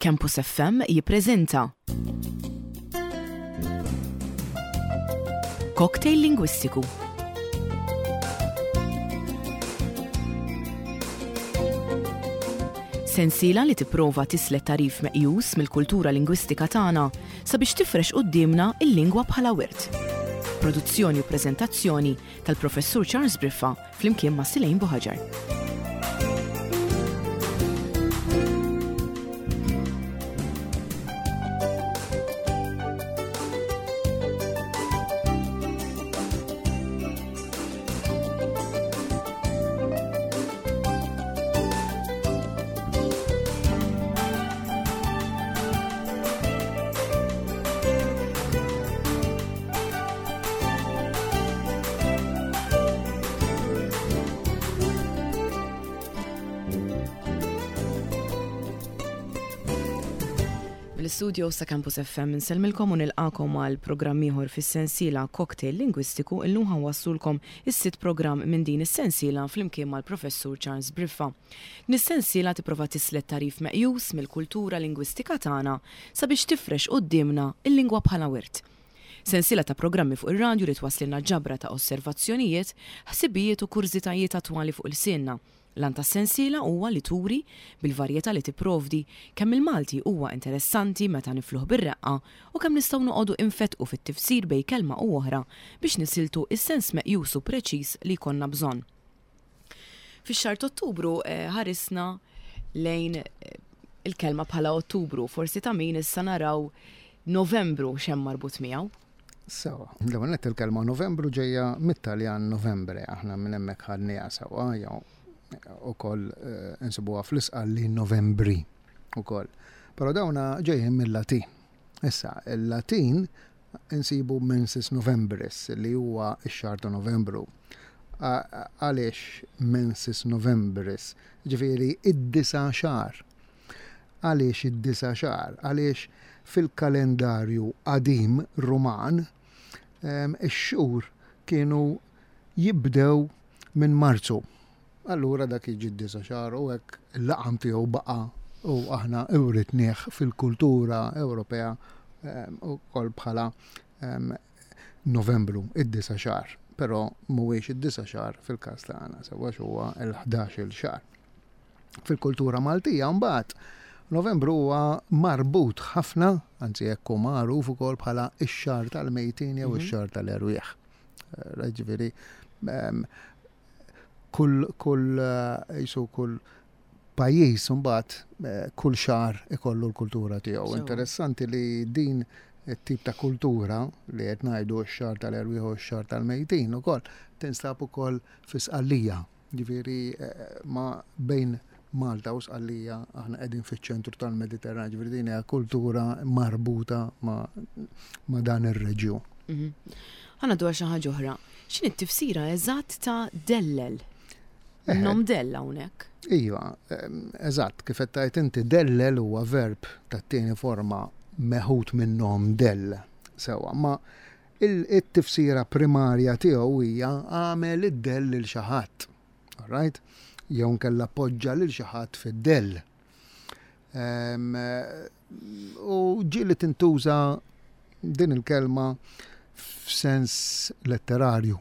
Campus FM jippreżenta Cocktail Lingwistiku. Sensiela li tipprova tislet tagħrif meqjus mill-kultura lingwistika tagħna sabiex tifrex quddiemna l-lingwa bħala wirt. Produzzjoni u preżentazzjoni tal-Professur Charles Briffa flimkien ma' Silejn Buħaġar. Mill-istudio sa Campus FM insellmilkom u nilqakom għal programm ieħor fis-sensiela Cocktail Lingwistiku illum ħanwasslulkom is-sitt programm minn din is-sensiela flimkien mal-Professur Charles Briffa. Din is-sensiela tipprova tislet tagħrif meqjus mill-kultura lingwistika tagħna sabiex tifrex quddiemna l-lingwa bħala wirt. Sensiela ta' programmi fuq ir-radju li twasslilna ġabra ta' osservazzjonijiet, ħsibijiet u kurżitajiet attwali fuq ilsienna. L-għan tas-sensiela huwa li turi, bil-varjetà li tipprovdi, kemm il-Malti huwa interessanti meta nifluh bir-reqqa u kemm nistgħu noqogħdu infettqu fit-tifsir bejn kelma u oħra biex nisiltu s-sens meqjus u preċiż li jkollna bżonn. Fix-xahar t'Ottubru ħarisna lejn il-kelma bħala Ottubru, forsi ta' min issa naraw Novembru x'hemm marbut miegħu. Sewa, l-ewwel nett il-kelma Novembru ġejja mit-Taljan Novembre, aħna minn hemmhekk ħadniha sewa jew ukoll eh, insibuha fl-Isqalli Novembri ukoll. Però dawna ġejjin mill-Latin. Issa, il-Latin insibu mensis Novembris li huwa x-xahar ta' Novembru. Għaliex mensis Novembris? Ġifieri id-disa' xahar. Għaliex id-disa' xahar? Għaliex fil-kalendarju qadim Ruman ix-xhur kienu jibdew minn Marzu. Allura dak jiġi d-disa' xahar u hekk il-laqam tiegħu baqa' u aħna writnieh fil-kultura Ewropea ukoll bħala Novembru, id-disa' xahar. Però mhuwiex id-disa' xahar fil-każ tagħna, sewwa huwa l-ħdax-il xahar. Fil-kultura Maltija mbagħad Novembru huwa marbut ħafna, anzi hekk hu magħruf ukoll bħala x-xahar tal-mejtin jew mhm. ix-xahar tal-erwieħ. Eh, ġifieri kull kull eh, jisu kull pajjiż imbagħad eh, kull xahar ikollu l-kultura tiegħu. Interessanti li din it-tip ta' kultura li qed ngħidu x-xahar tal-erwieħ u x-xahar tal-mejtin ukoll tinstab ukoll fi Sqallija. Ġifieri eh, ma bejn Malta u Sqallija aħna qegħdin fiċ-ċentru tal-Mediterran, ġifieri din hija kultura marbuta ma, ma dan ir-reġjun. Mhm. Ħa ngħaddu għal xi ħaġa oħra. X'inhi t-tifsira eżatt ta' dellel? Eh. Nom dell hawnhekk. Iva, eżatt, kif qed tgħid inti dellel huwa verb tat-tieni forma meħud minn nom dell. Sewa, ma it-tifsira primarja tiegħu hija għamel id-dell lil xi ħadd. Right? Jew nkella poġġa lil xi ħadd fid-dell. U ġieli tintuża din il-kelma f'sens letterarju.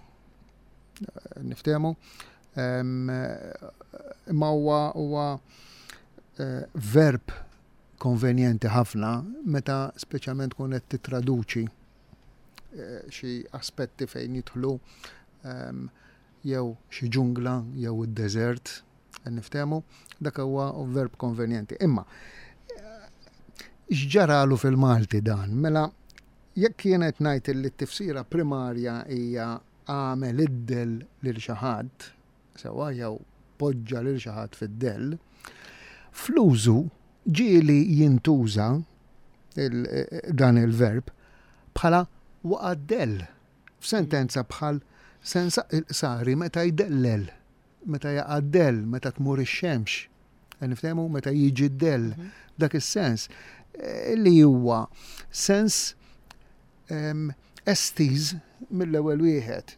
Niftehmu? Imma huwa huwa eh, verb konvenjenti ħafna meta speċjalment tkun qed titraduċi eh, xi aspetti fejn jidħlu jew xi ġungla jew id-deżert Niftehmu, dak huwa verb konvenjenti. Imma, x'ġaralu fil-Malti dan? Mela, jekk kienet ngħid li t-tifsira primarja hija għamel id-dell lil xi ħadd, sewwa jew poġġa lil xi ħadd fid-dell, fl-użu ġieli jintuża dan il-verb bħala waqa' dell f'sentenza bħal sensaq il-qsari meta jdellel. meta jaqa' d-dell, meta tmur ix-xemx, niftehmu meta jiġi d-dell, mhm. dak is-sens eh, li huwa sens ehm, estiż mill-ewwel wieħed.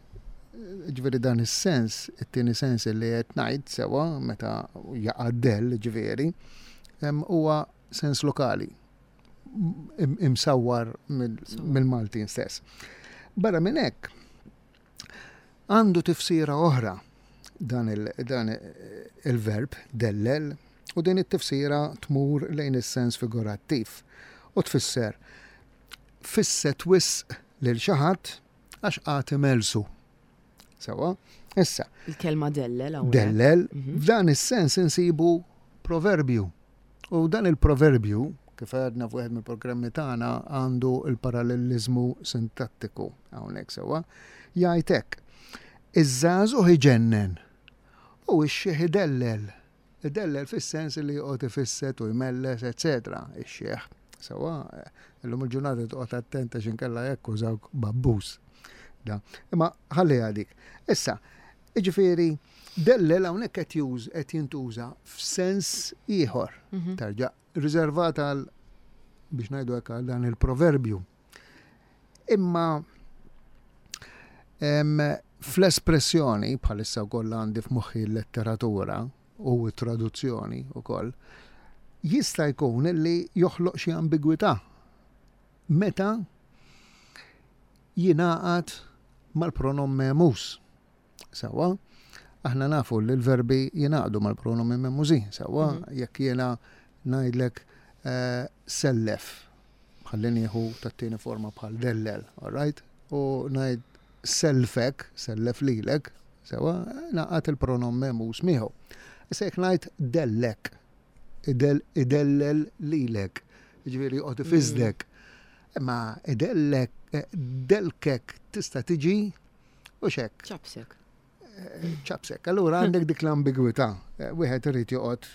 Ġifieri dan is-sens, it-tieni sens li qed ngħid sewa meta jaqa' d-dell, ġifieri, ehm, huwa sens lokali imsawwar mill-Maltin stess. Barra minn hekk, għandu tifsira oħra dan il-verb dellel u din it-tifsira tmur lejn is-sens figurattiv u tfisser fisset wisq lil xi ħadd għax qagħad imellsu. Sewwa? Issa. Il-kelma dellel hawnhekk. Dellel, mhm. f'dan is-sens insibu proverbju. U dan il-proverbju, kif għedna f'wieħed mill-programmi tagħna, għandu l-paralleliżmu sintattiku hawnhekk sewwa, jgħid hekk. Iż-żagħżugħ iġennen u x-xiħ idellel. Idellel fis-sens li joqgħod ifisset u jmelles, eċetera, ix-xiħ. Sewwa, illum il-ġurnata toqgħod attent għax inkella jakkużawk b'abbuż. Da. Imma ħalliha dik. Issa, jiġifieri dellel hawnhekk qed już qed jintuża f'sens ieħor. Mhm. Terġa' riservat għal biex ngħidu hekk għal dan il-proverbju. Imma fl-espressjoni, bħalissa wkoll għandi f'moħħi l-letteratura u t-traduzzjoni wkoll, jista' jkun li joħloq xi ambigwità meta jingħaqad mal-pronom memus. Sewwa, aħna nafu li l-verbi jingħaqdu mal-pronomi memużin, sewwa, mhm. jekk jiena ngħidlek eh, sellef, ħalli nieħu tat-tieni forma bħal dellel, all right? U ngħid selfek, sellef lilek, sewwa, naqgħad il-pronom memuż miegħu. Issa jekk ngħid dellek, idellel lilek, jiġifieri joqgħod ifiżdek. Mm. Imma idellek, eh, delkek tista' tiġi U xek. Ċapsek. Eh, ċapsek. Allura għandek dik l-ambigwità. Eh, wieħed irid joqgħod,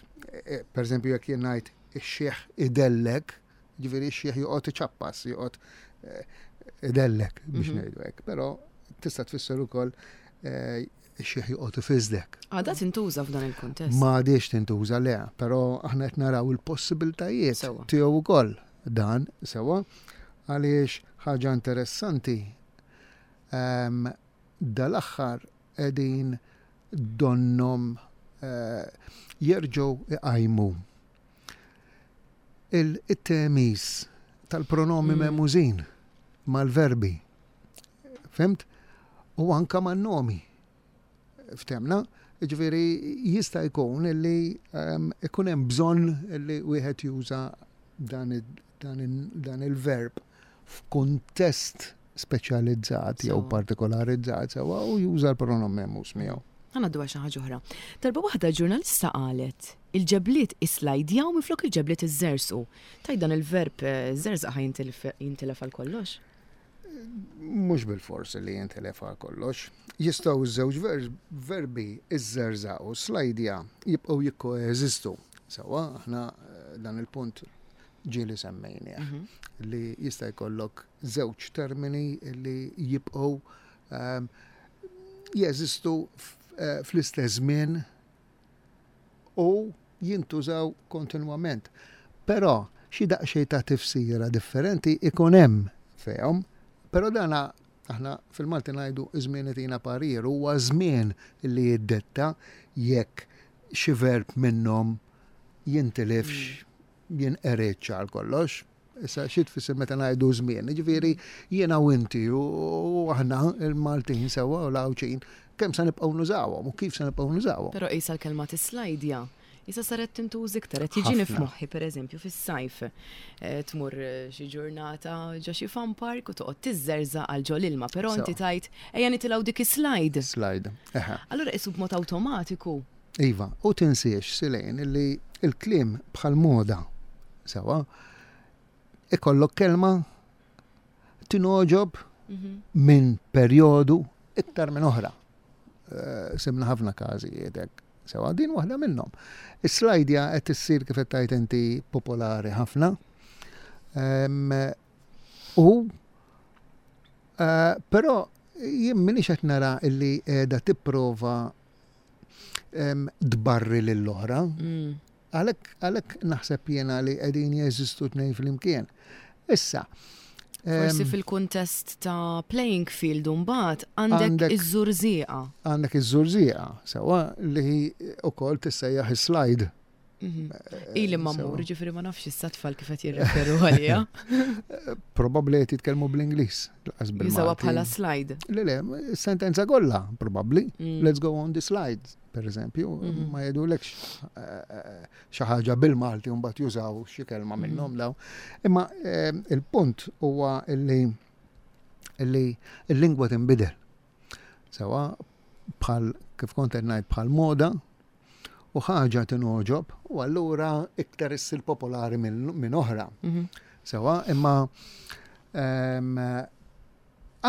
eh, per eżempju jekk jien ngħid ix-xieħ idellek, ġifieri x-xieħ joqgħod iċappas, joqgħod idellek biex mhm. ngħidu hekk, però tista' tfisser ukoll ix-xieħ joqgħod ifiżdek. Għadha tintuża f'dan il-kuntest. Ma għadix tintuża le, però aħna qed naraw il-possibiltajiet tiegħu wkoll dan sewwa għaliex ħaġa interessanti Dal-aħħar qegħdin donnhom jerġgħu iqajmu it-temiż tal-pronomi mehmużin mal-verbi. Fhimt? U anke man-nomi. Ftemna? Jiġifieri jista' jkun li ikun hemm bżonn li wieħed juża dan dan il-verb f'kuntest speċjalizzat jew partikolarizzat sewwa u juża l-pronom memus miegħu. Ħa ngħaddu għal xi ħaġa oħra. Darba waħda ġurnalista qalet il-ġebliet isslajdjaw minflok il-ġebliet iżżerżqu. Tgħid dan il-verb żerżaq ħa jintilef għal kollox? Mhux bilfors li jintilef għal kollox. Jistgħu ż-żewġ verbi iżżerżaq u slajdja jibqgħu jikkoeżistu. Sewwa, aħna dan il-punt ġieli semmejnieh mhm. li jista' jkollok żewġ termini li jibqgħu ehm, jeżistu eh, fl-istess żmien u jintużaw kontinwament. Però xi daqsxejn ta' tifsira differenti ikun hemm fihom, però dana aħna fil-Malti ngħidu iż-żmien itina parir, huwa żmien li jiddetta jekk xi verb minnhom jintilifx, jinqeridx għal kollox. Issa xi tfisser meta ngħidu żmien? Jiġifieri jiena u inti u aħna il-Maltin sewwa u l-Għawdxin kemm se nibqgħu nużawhom u kif se nibqgħu nużawhom. Però qisha l-kelma tislajdja Issa saret tintuża iktar, qed jiġini f'moħħi pereżempju fis-sajf eh, tmur eh, xi ġurnata ġo xi fun park u toqgħod tiżżerżaq għal ġol ilma, però inti tajt ejja nitilgħu dik is-slide. Slide. Allura qisu b'mod awtomatiku. Iva, u tinsiex Silejn illi il-kliem bħal moda sewa ikollok kelma tingħoġob mhm. minn perjodu iktar minn oħra. Eh, simna ħafna każijiet hekk. Sewa din waħda minnhom. Is-slajdja qed issir kif qed tgħid inti popolari ħafna. U eh, però jien m'iniex qed nara illi qiegħda tipprova tbarri lill-oħra. Mm. Għalhekk naħseb jiena li qegħdin jeżistu tnejn flimkien. Issa, Forsi fil-kuntest ta' playing field mbagħad għandek iż-żurżieqa. Għandek iż-żurżieqa, sewwa li wkoll tissejjaħ is-slide. Ili ma mmur, ġifieri ma nafx issa tfal kif qed jirreferu għaliha. Probabbli qed jitkellmu bl-Ingliż. Jużawha bħala slide. Le, le, sentenza kollha, probabbli. Let's go on the slide, per eżempju, ma jgħidulekx xi ħaġa bil-Malti u mbagħad jużaw xi kelma minnhom daw. Imma il-punt huwa illi l-lingwa tinbidel. Sewa bħal kif kont qed ngħid bħal moda u ħaġa tinogħġob u allura iktar issir popolari minn oħra. Sewa, imma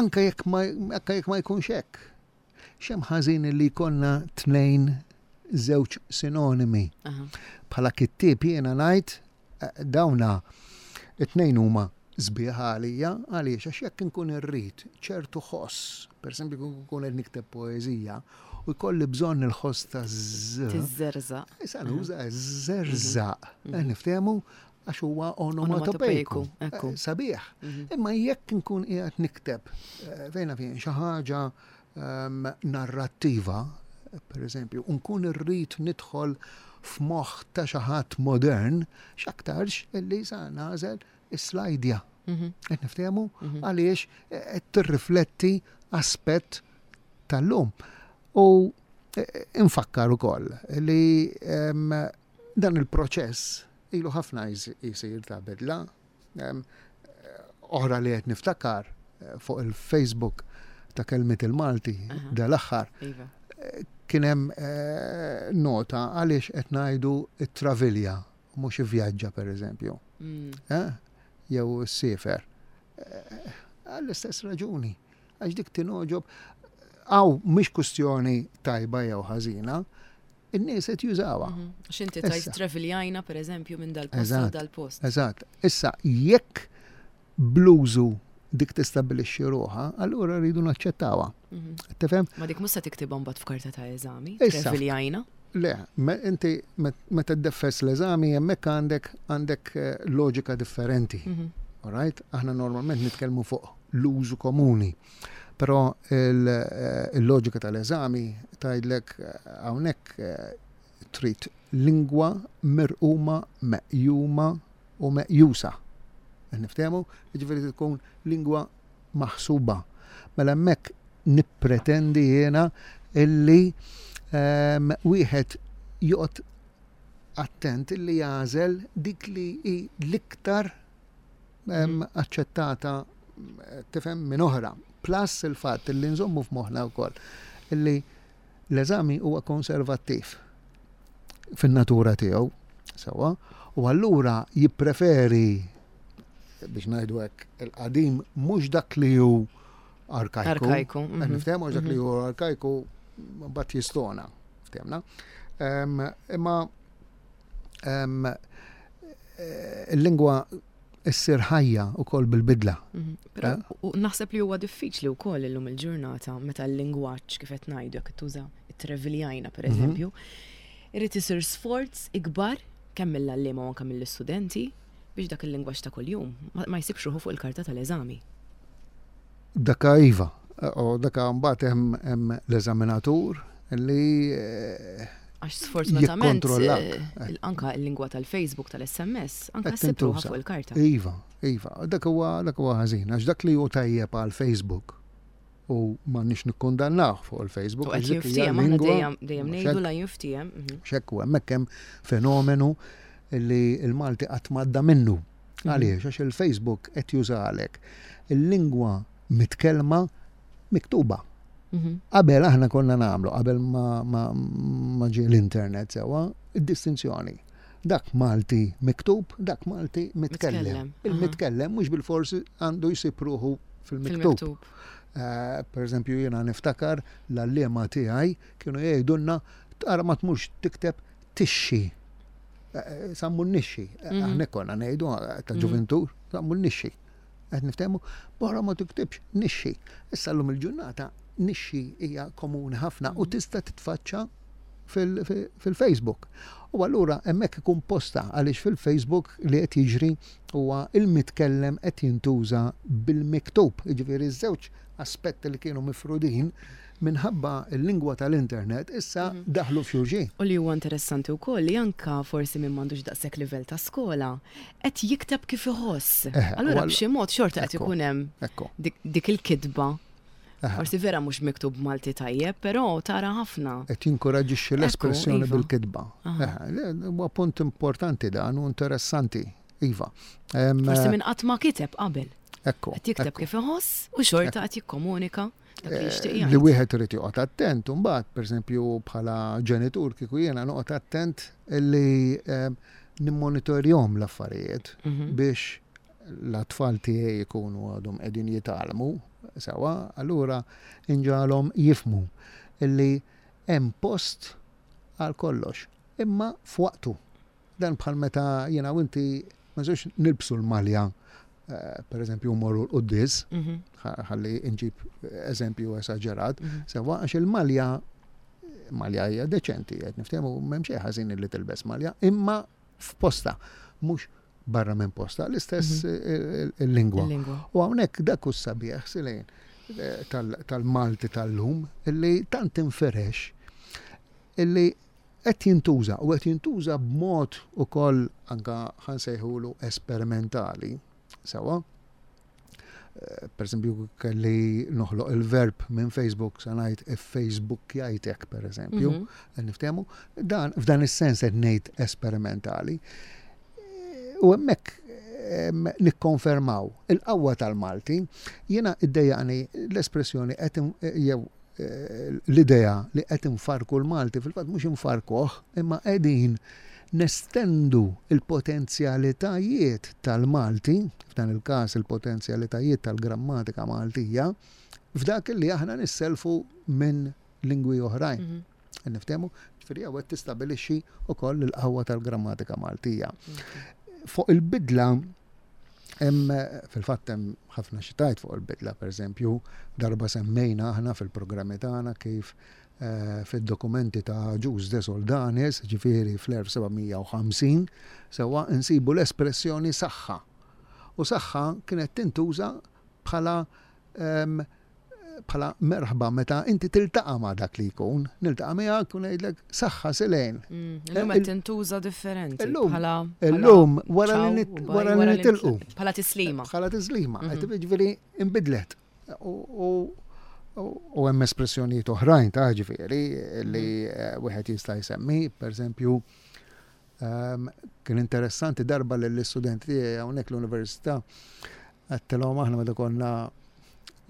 anke jekk ma anke jekk ma jkunx hekk. X'hemm ħażin li jkollna tnejn żewġ sinonimi. Bħala kittieb jiena ngħid dawna it-tnejn huma sbieħ għalija, għaliex għax jekk inkun irrid ċertu ħoss, pereżempju nkun qed nikteb poeżija u jkolli bżonn il-ħoss ta' z. Tiżżerżaq. Issa nuża żerżaq. Niftehmu għax huwa onomatopejku. Sabiħ. Imma jekk inkun qiegħed nikteb fejn fejn xi ħaġa narrattiva, per eżempju, nkun irrid nidħol f'moħħ ta' xi ħadd modern, x'aktarx illi sa nagħżel is-slajdja. Qed niftehmu għaliex qed tirrifletti aspett tal-lum. U infakkar ukoll li dan il-proċess ilu ħafna jsir ta' bidla. Oħra li qed niftakar fuq il-Facebook ta' Kelmiet il-Malti dal-aħħar kien hemm nota għaliex qed ngħidu t-travilja mhux ivvjaġġa pereżempju. Jew siefer. Għall-istess raġuni. Għax dik tingħoġob. Hawn mhix kwistjoni tajba jew ħażina, in-nies qed jużawha. X'inti tajt traviljajna pereżempju minn dal-post għal dal-post. Eżatt. Issa jekk bl-użu dik tistabbilixxi ruħha, allura rridu naċċettawha. Tifhem? Ma dik mhux se tiktibha mbagħad f'karta ta' eżami, traviljajna. Le, inti meta ddeffes l-eżami hemmhekk għandek għandek loġika differenti. All right? Aħna normalment nitkellmu fuq l-użu komuni. Però il-loġika tal-eżami tgħidlek hawnhekk trid lingwa mirquma, meqjuma u meqjusa. Niftehmu? Jiġifieri tkun lingwa maħsuba. Mela hemmhekk nippretendi jiena illi wieħed joqgħod attent illi jagħżel dik li hi l-iktar aċċettata tifhem minn oħra. Plus il-fatt li nżommu f'moħħna wkoll illi l-eżami huwa konservattiv fin-natura tiegħu, sewwa, u allura jippreferi biex ngħidu hekk il-qadim mhux dak li hu arkajku. Arkajku. Niftehmu dak li hu arkajku mbagħad jistona, ftehmna. Imma il-lingwa issir ħajja wkoll bil-bidla. Però naħseb li huwa diffiċli wkoll illum il-ġurnata meta l-lingwaġġ kif qed ngħidu jekk tuża it-treviljajna pereżempju, irid isir sforz ikbar kemm mill-għalliema u anke mill-istudenti biex dak il-lingwaġġ ta' kuljum ma jsibx ruħu fuq il-karta tal-eżami. Daka iva, u daka mbagħad hemm l-eżaminatur li Għax sfortunatament anka l-lingwa tal-Facebook, tal-SMS, anka ssib ruħha fuq il-karta. Iva, iva, dak huwa dak huwa ħażin, għax dak li hu tajjeb għal Facebook u m'għandniex nikkundannawh fuq il-Facebook. U qed jinftiehem, aħna dejjem dejjem ngħidu la jinftiehem. X'hekk hu hemmhekk hemm fenomenu li l-Malti qatt m'għadda minnu. Għaliex? Għax il-Facebook qed jużalek il-lingwa mitkellma miktuba. Qabel aħna konna nagħmlu, qabel ma ġie l-internet sewwa, id-distinzjoni. Dak Malti miktub, dak Malti mitkellem. Il-mitkellem mhux bilfors għandu jsib ruħu fil-miktub. Per eżempju, jiena niftakar l-għalliema tiegħi kienu jgħidulna tara ma tmurx tikteb tixxi. Sammu nixxi. Aħna konna ngħidu ta' ġuventur, sammu nixxi. Qed niftehmu, barra ma tiktibx nixxi. Issa llum il-ġurnata nixxi hija komuni ħafna u tista' titfaċċa fil-Facebook. U allura hemmhekk ikun posta għaliex fil-Facebook li qed jiġri huwa il-mitkellem qed jintuża bil-miktub. Jiġifieri ż-żewġ aspetti li kienu mifrudin. minħabba l-lingwa tal-internet issa daħlu f'xulxin. U li huwa interessanti wkoll li anka forsi min m'għandux daqshekk livell ta' skola qed jikteb kif iħoss. Allura b'xi mod xorta qed ikun hemm dik il-kitba. Forsi vera mhux miktub Malti tajjeb, però tara ħafna. Qed jinkoraġġixxi l-espressjoni iva. bil-kitba. Huwa punt importanti dan u interessanti. Iva. Forsi minn qatt ma kiteb qabel. Ekku. Qed jikteb kif iħoss u xorta qed jikkomunika dak li jixtieq jgħid. Li wieħed irid joqgħod attent imbagħad, pereżempju bħala ġenitur kieku jiena noqgħod attent li nimmonitorjhom l-affarijiet biex l-atfal tiegħi jkunu għadhom qegħdin jitgħallmu sewwa, allura inġagħalhom jifhmu illi hemm post għal kollox, imma f'waqtu. Dan bħal meta jiena u inti ma nistgħux nilbsu l-malja eh, per eżempju morru l-quddies, mhm. ħalli nġib eżempju esaġerat, mhm. sewa għax il-malja malja hija deċenti, qed niftehmu m'hemm xejn ħażin li tilbes malja, imma f'posta, mhux barra minn posta, l-istess mhm. eh, il-lingwa. U hawnhekk dak hu sabiħ silejn eh, tal-Malti tal-lum illi tant inferex illi qed jintuża u qed jintuża b'mod ukoll anka ħa nsejħulu esperimentali, sewwa. Eh, per eżempju, kelli noħloq il-verb minn Facebook sa ngħid if-Facebook jajtek, per eżempju, mm -hmm. niftehmu, dan f'dan is-sens qed ngħid esperimentali. Eh, u hemmhekk nikkonfermaw il-qawwa tal-Malti, jiena iddejjaqni l-espressjoni qed jew l-idea li qed infarrku l-Malti, fil-fatt mhux infarrkuh, imma qegħdin nestendu l-potenzjalitajiet tal-Malti, f'dan il-każ il-potenzjalitajiet tal-grammatika Maltija, f'dak li aħna nisselfu minn lingwi oħrajn. Mhm. Niftehmu, ġifieri hawn qed tistabilixxi wkoll il-qawwa tal-grammatika Maltija. Fuq il-bidla Hemm fil-fatt hemm ħafna xi tgħid fuq il-bidla, pereżempju, darba semmejna aħna fil-programmi tagħna kif eh, fid-dokumenti ta' Ġuż de Soldanis, ġifieri fl-1750, sewwa nsibu l-espressjoni saħħa. U saħħa kienet tintuża bħala ehm, bħala merħba meta inti tiltaqa' ma' dak li jkun, niltaqa' miegħek u ngħidlek saħħa silejn. Mm, illum qed tintuża differenti. Bħala illum wara li wara li nitilqu. Bħala tislima. Bħala tislima, mhm. ġifieri inbidlet. U hemm espressjonijiet oħrajn ta' ġifieri li mhm. eh, wieħed jista' jsemmi, pereżempju, ehm, kien interessanti darba lill-istudenti tiegħi hawnhekk l-università Għedtilhom aħna meta konna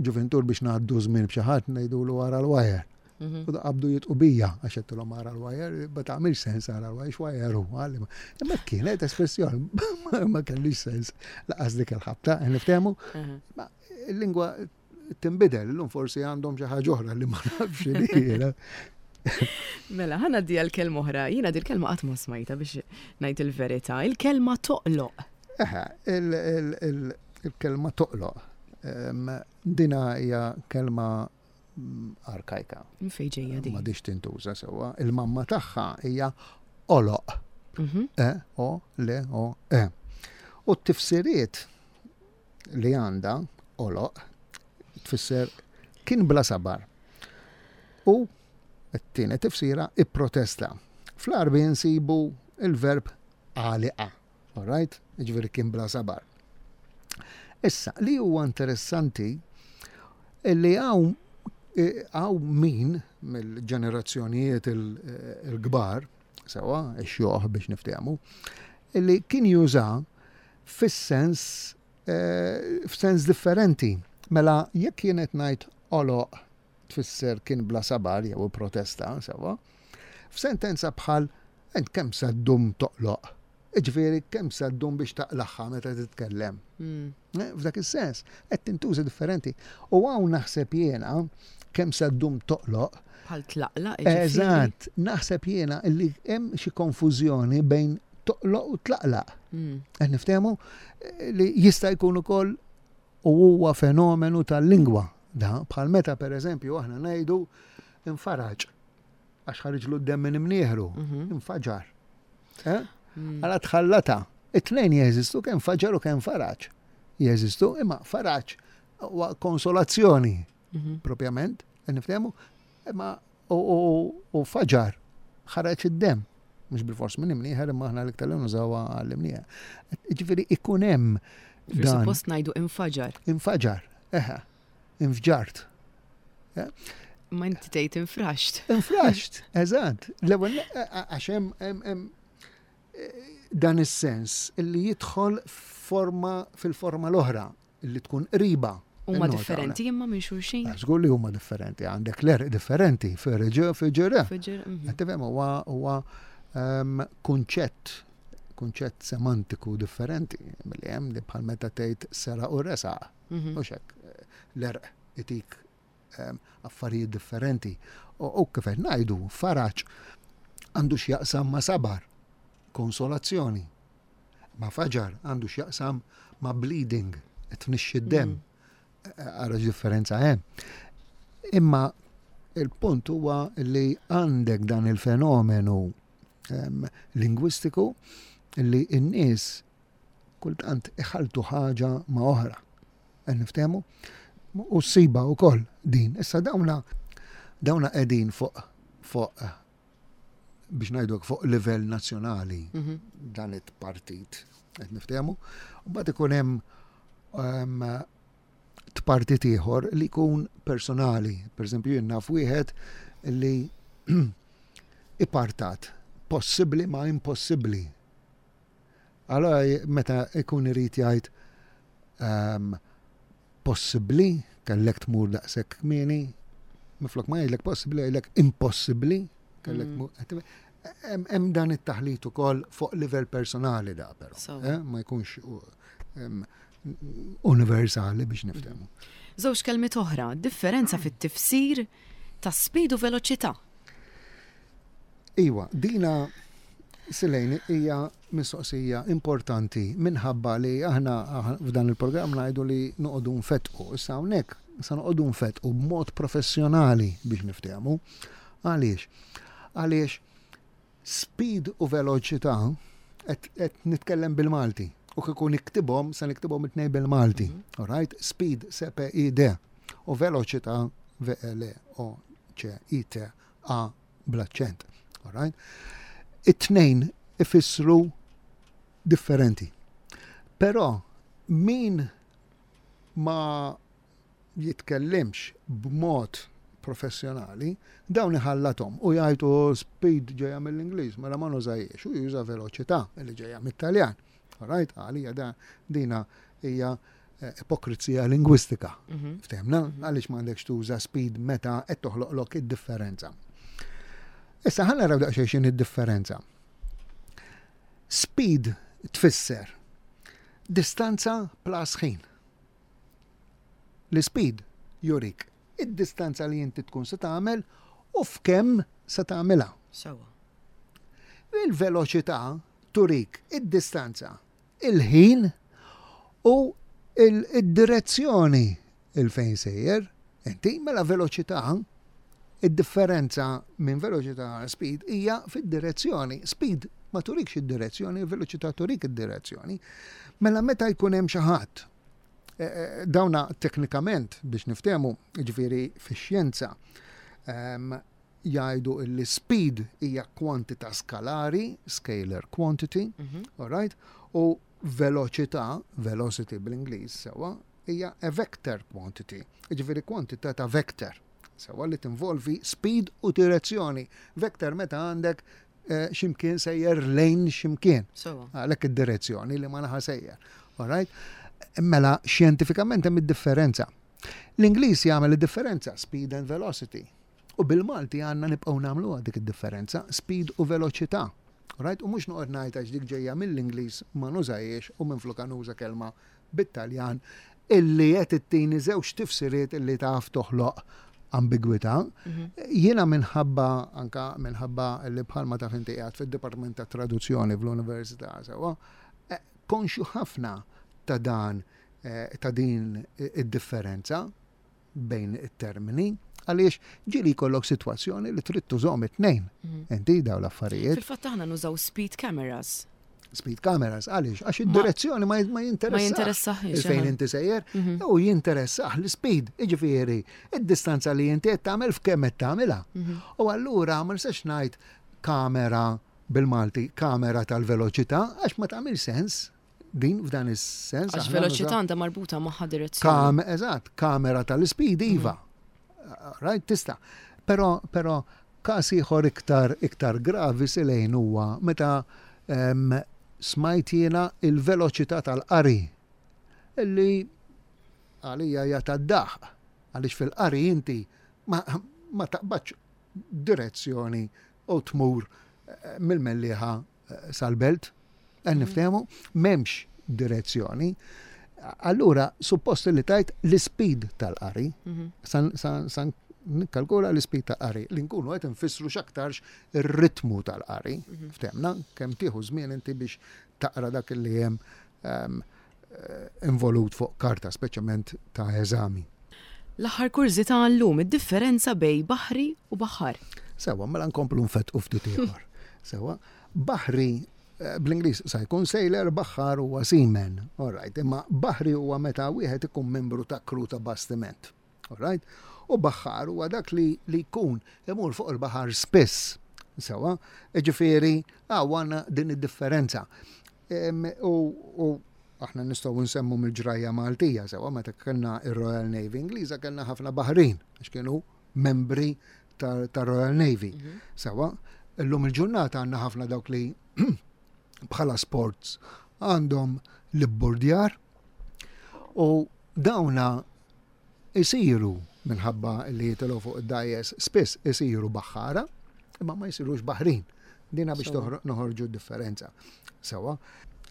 ġuvintur biex ngħaddu żmien b'xi ħadd ngħidulu ara l-wajer. Mhm. U qabdu jitqu bija għax għedtilhom ara l-wajer, ma tagħmilx sens ara l-wajer, x'wajer hu. Imma kienet espressjoni ma kellix sens laqas dik il-ħabta, niftehmu. Mhm. Ma il-lingwa tinbidel, illum forsi għandhom xi ħaġa oħra li ma nafx li Mela, ħana di għal-kelma oħra, jiena di l-kelma qatt ma smajta biex ngħid il-verità, il-kelma toqloq. Eħe, il-kelma toqloq. Dina hija kelma arkajka. Fejn ġejja din? M'għadhiex tintuża sewwa. Il-mamma tagħha hija oloq. Mhm. E, O, L, O, E. U t-tifsiriet li għandha oloq tfisser kien bla sabar. U t-tieni tifsira ipprotesta. Fl-Għarbi nsibu il-verb għaliqa. All right? Ġifieri kien bla sabar. Issa, li huwa interessanti li hawn eh, hawn min mill-ġenerazzjonijiet il-kbar, sewa, ix-xjuħ biex niftehmu, li kien juża fis-sens eh, f'sens differenti. Mela jekk jien qed ngħid oloq tfisser kien bla sabar jew protesta, sewa, f'sentenza bħal ent kemm se ddum toqloq. Jiġifieri kemm se ddum biex taqlagħha meta titkellem. Mm. Eh, f'dak is-sens, qed tintuża differenti. U hawn naħseb jiena kemm se ddum toqloq. Bħal tlaqlaq. Eżatt, naħseb jiena li hemm xi konfużjoni bejn toqloq u tlaqlaq. Mm. Qed niftehmu eh, li jista' jkun ukoll u huwa fenomenu tal-lingwa. Da, bħal meta pereżempju aħna ngħidu infaraġ għax ħariġlu d-demm minn imnieħru, mhm. infaġar. Eh? Mm. Għala tħallata. It-tnejn jeżistu kemm faġar u kemm faraġ. Jeżistu imma faraġ huwa konsolazzjoni mhm. propjament, niftehmu, Imma u faġar ħareġ id-demm. Mhux bil-fors minn imnieħer imma aħna l-iktar li nużawha għall-imnieħer. Ġifieri ikun hemm. Suppost ngħidu infaġar. Infaġar, eħe. Infġart. Ma inti tgħid infraxt. Infraxt, eżatt. L-ewwel għax hemm dan is-sens illi jidħol forma fil-forma l-oħra illi tkun qriba. Huma differenti imma minn xulxin. Ah, żgur li huma differenti, għandek l-erq differenti, ferġa, ferġa. Qed tifhem huwa huwa ehm, kunċett kunċett semantiku differenti milli hemm li bħal meta tgħid sera u resaq. Mhm. Mhux hekk l-erq itik ehm, affarijiet differenti. U kif qed ngħidu, faraġ għandu x'jaqsam ma' sabar, konsolazzjoni. Ma' faġar għandu x'jaqsam ma' bleeding, qed tnixxi d-demm. Mm. Ara differenza hemm. Imma il-punt huwa li għandek dan il-fenomenu ehm, lingwistiku li n-nies kultant iħaltu ħaġa ma' oħra. Qed niftehmu? U ssiba wkoll din. Issa dawna dawna qegħdin fuq fuq biex ngħidu fuq livell nazzjonali mhm. dan it-partit qed niftehmu. U mbagħad ikun hemm ehm, tpartit ieħor li jkun personali. Per eżempju, jien naf wieħed li ipartat possibbli ma impossibbli. Allora meta ikun irid jgħid ehm, possibbli kellek tmur daqshekk kmieni, minflok ma jgħidlek possibbli jgħidlek impossibbli kellek mm. tmur. Hemm dan it-taħlit ukoll fuq livell personali da però. Eh, ma jkunx universali biex niftehmu. Żewġ kelmiet oħra, differenza fit-tifsir ta' speed u veloċità. Iwa, dina Silejn hija mistoqsija importanti minħabba li aħna f'dan il-programm ngħidu li noqogħdu nfettqu. Issa hawnhekk se noqogħdu nfettqu b'mod professjonali biex niftehmu. Għaliex? Għaliex speed u veloċità qed nitkellem bil-Malti u kieku niktibhom se niktibhom it-tnejn bil-Malti. Mhm. All right? Speed S P I D u veloċità V E L O C I T A bl-aċċent. All right? It-tnejn ifissru differenti. Però min ma jitkellimx b'mod professjonali, dawn iħallathom u jgħidu oh, speed ġejja mill-Ingliż, mela ma nużajiex u juża veloċità li ġejja mit-Taljan. Right? Għalija da dina hija eh, ipokrizija lingwistika. Mhm. Ftehmna? Mhm. Għaliex m'għandekx tuża speed meta qed toħloqlok id-differenza. Issa ħa naraw daqsxejn x'inhi d-differenza. Speed tfisser distanza plus ħin. L-ispeed jurik id-distanza li inti tkun se tagħmel u f'kemm se tagħmilha. Sewwa. Il-veloċità turik id-distanza, il-ħin u id-direzzjoni il fejn sejjer. Inti mela veloċità id-differenza minn veloċità għal speed hija fid-direzzjoni. Speed ma turikx id-direzzjoni, veloċità turik id-direzzjoni. Mela meta jkun hemm xi ħadd eh, eh, dawna teknikament biex niftehmu, ġifieri fix-xjenza, ehm, jgħidu li speed hija kwantità skalari, scalar quantity, mm -hmm. all right? U veloċità, velocity bl-Ingliż sewwa, hija a vector quantity, ġifieri kwantità ta' vector. Sewwa li tinvolvi speed u direzzjoni. Vector meta għandek eh, ximkien sejjer lejn ximkien. Għalhekk id-direzzjoni li ma naħa sejjer. All right? Mela xjentifikament hemm id-differenza. L-Ingliż jagħmel id-differenza speed and velocity. U bil-Malti għandna nibqgħu nagħmluha dik id-differenza, speed u veloċità. Right? U mhux noqgħod ngħid għax dik ġejja mill-Ingliż ma nużajiex u minflok nuża kelma bit-Taljan illi qed ittini żewġ tifsiriet illi taf toħloq ambigwità. Mhm. Jiena minħabba anka minħabba li bħalma taf inti qiegħed fid-Dipartiment ta' Traduzzjoni fl-Università sewwa, eh, konxju ħafna ta' dan eh, ta' din id-differenza bejn it-termini għaliex ġieli jkollok sitwazzjoni li trid tużhom it-tnejn. Mhm. Inti daw l-affarijiet. Fil-fatt aħna nużaw speed cameras. Speed cameras, għaliex? Għax id-direzzjoni ma jinteressax. Il-fejn inti sejjer, u jinteressax l-speed, jiġifieri, id-distanza li inti qed tagħmel f'kemm qed tagħmilha. U allura ma nistax ngħid kamera bil-Malti, kamera tal-veloċità, għax ma tagħmel sens din f'dan is-sens. Għax veloċità għandha marbuta magħha direzzjoni. Eżatt, kamera tal-speed iva. Right, tista'. Però, però każ ieħor iktar iktar gravi silejn huwa meta smajt jiena il-veloċità tal-qari illi għalija hija tad-daħq għaliex fil-qari inti ma, ma taqbadx direzzjoni u tmur eh, mill-Mellieħa sal-belt, qed niftehmu, m'hemmx direzzjoni. Allura, suppost li tajt l-speed tal-qari, mhm. san nikkalkula l-speed tal-qari, li nkunu qed nfissru x'aktarx ir-ritmu tal-qari, mhm. ftemna, kemm tieħu żmien inti biex taqra dak li hemm ehm, eh, involut fuq karta, speċjalment ta' eżami. L-aħħar kurżità għal-lum, id-differenza bejn baħri u baħħar. Sewwa, mela nkomplu nfettqu ftit ieħor. Sewwa, baħri eh, bl-Ingliż sa jkun sailor, baħħar huwa seaman. All right, imma baħri huwa meta wieħed ikun membru ta' kru ta' bastiment. All right? U baħħar huwa dak li li jkun imur fuq il-baħar spiss. Sewwa, ġifieri għandna din id-differenza. U aħna nistgħu nsemmu mill-ġrajja Maltija sewwa meta kellna ir-Royal Navy Ingliża kellna ħafna baħrin għax kienu membri tar-Royal Navy. Mhm. Sewwa, illum il-ġurnata għandna ħafna dawk li bħala sports għandhom l-ibburdjar u dawna isiru minħabba li jitilgħu fuq id-dgħajjes spiss isiru baħħara, imma ma jsirux baħrin. Dina biex noħorġu differenza. Sewa,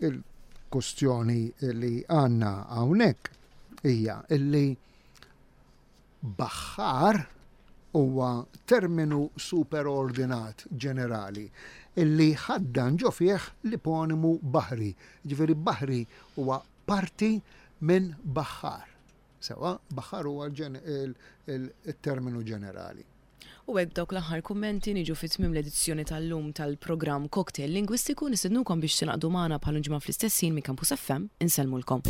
il-kustjoni li għanna hawnhekk hija illi baħħar huwa terminu superordinat ġenerali illi ħaddan ġo fih l-iponimu baħri. Ġifieri baħri huwa parti minn baħħar. Sewwa, baħħar huwa il-terminu ġenerali. U hekk b'dawk l-aħħar kummenti niġu fi tmiem l-edizzjoni tal-lum tal-programm Cocktail Lingwistiku. Nistednukom biex tingħaqdu magħna bħal ġimgħa fl-istess ħin minn Campus FM. Insellmulkom.